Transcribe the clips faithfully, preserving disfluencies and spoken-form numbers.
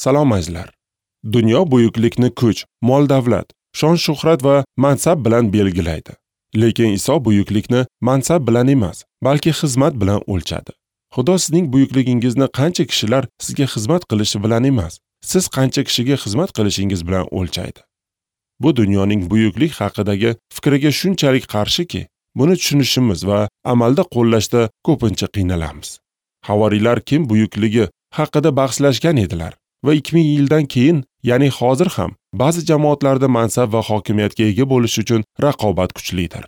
Salom azizlar. Dunyo buyuklikni kuch, mol-davlat, shon-shuhrat va mansab bilan belgilaydi. Lekin Iso buyuklikni mansab bilan emas, balki xizmat bilan o'lchadi. Xudo sizning buyukligingizni qancha kishilar sizga xizmat qilishi bilan emas, siz qancha kishiga xizmat qilishingiz bilan o'lchaydi. Bu dunyoning buyuklik haqidagi fikriga shunchalik qarshiki, buni tushunishimiz va amalda qo'llashda ko'pincha qiynalamiz. Havoriylar kim buyukligi haqida bahslashgan edilar va ikki ming yildan keyin, ya'ni hozir ham ba'zi jamoatlarda mansab va hokimiyatga ega bo'lish uchun raqobat kuchlidir.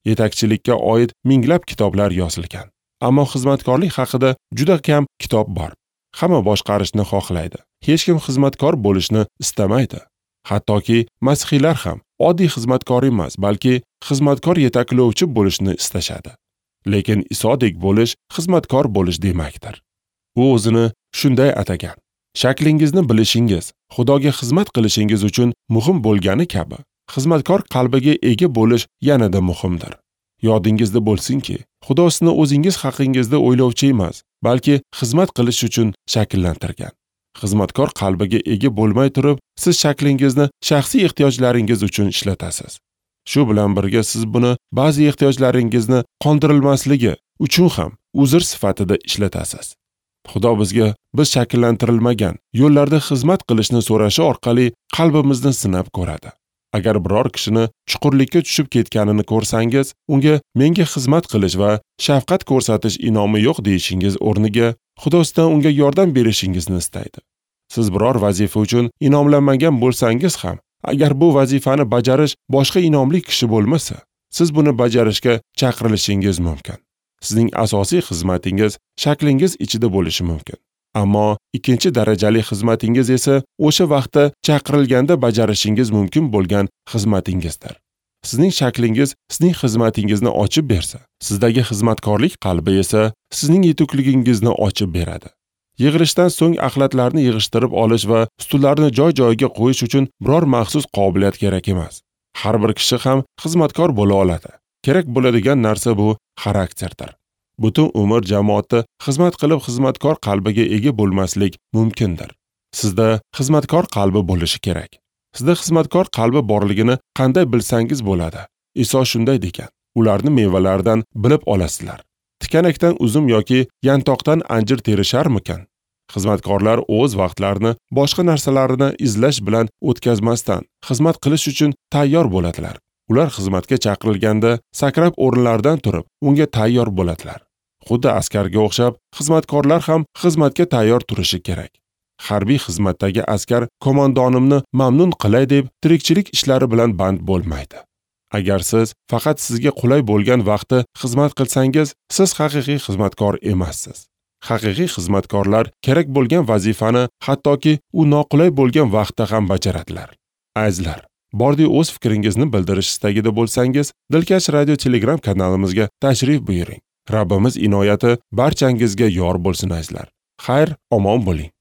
Yetakchilikka oid minglab kitoblar yozilgan, ammo xizmatkorlik haqida juda kam kitob bor. Hamma boshqarishni xohlaydi. Hech kim xizmatkor bo'lishni istamaydi. Hattoki masihiylar ham oddiy xizmatkor emas, balki xizmatkor yetaklovchi bo'lishni istashadi. Lekin Isodek bo'lish xizmatkor bo'lish demakdir. U o'zini shunday atagan. Shaklingizni bilishingiz, Xudoga xizmat qilishingiz uchun muhim bo'lgani kabi, xizmatkor qalbiga ega bo'lish yanada muhimdir. Yodingizda bo'lsinki, Xudo sizni o'zingiz haqingizda o'ylovchi emas, balki xizmat qilish uchun shakllantirgan. Xizmatkor qalbiga ega bo'lmay turib, siz shaklingizni shaxsiy ehtiyojlaringiz uchun ishlatasiz. Shu bilan birga siz buni ba'zi ehtiyojlaringizni qondirilmasligi uchun ham uzr sifatida ishlatasiz. Xudo bizga biz shakllantirilmagan yo'llarda xizmat qilishni so'rashi orqali qalbimizni sinab ko'radi. Agar biror kishini chuqurlikka tushib ketganini ko'rsangiz, unga menga xizmat qilish va shafqat ko'rsatish inomi yo'q deyishingiz o'rniga Xudo sizdan unga yordam berishingizni istaydi. Siz biror vazifa uchun inomlanmagan bo'lsangiz ham, agar bu vazifani bajarish boshqa inomli kishi bo'lmasa, siz buni bajarishga chaqirilishingiz mumkin. Sizning asosiy xizmatingiz shaklingiz ichida bo'lishi mumkin. Ammo ikkinchi darajali xizmatingiz esa o'sha vaqtda chaqirilganda bajarishingiz mumkin bo'lgan xizmatingizdir. Sizning shaklingiz sizning xizmatingizni ochib bersa, sizdagi xizmatkorlik qalbi esa sizning yetukligingizni ochib beradi. Yig'ilishdan so'ng axlatlarni yig'ishtirib olish va stullarni joy-joyiga qo'yish uchun biror maxsus qobiliyat kerak emas. Har bir kishi ham xizmatkor bo'la oladi. Kerak bo'ladigan narsa bu xarakterdir. Butun umr jamoatda xizmat qilib xizmatkor qalbiga ega bo'lmaslik mumkindir. Sizda xizmatkor qalbi bo'lishi kerak. Sizda xizmatkor qalbi borligini qanday bilsangiz bo'ladi? Iso shunday degan: ularni mevalaridan bilib olasizlar. Tikanakdan uzum yoki yantoqdan anjir terisharmikan? Xizmatkorlar o'z vaqtlarini boshqa narsalarni izlash bilan o'tkazmasdan xizmat qilish uchun tayyor bo'ladilar. Ular xizmatga chaqirilganda sakrab o'rinlaridan turib, unga tayyor bo'ladilar. Xuddi askarga o'xshab, xizmatkorlar ham xizmatga tayyor turishi kerak. Harbiy xizmatdagi askar qo'mondonimni mamnun qilay deb tirikchilik ishlari bilan band bo'lmaydi. Agar siz faqat sizga qulay bo'lgan vaqtda xizmat qilsangiz, siz haqiqiy xizmatkor emassiz. Haqiqiy xizmatkorlar kerak bo'lgan vazifani hattoki u noqulay bo'lgan vaqtda ham bajaradilar. Azizlar, bordi o'z fikringizni bildirish istagida bo'lsangiz, Dilkash Radio Telegram kanalimizga tashrif buyuring. Rabbimiz inoyati barchangizga yor bo'lsin azizlar. Xayr, omon bo'ling.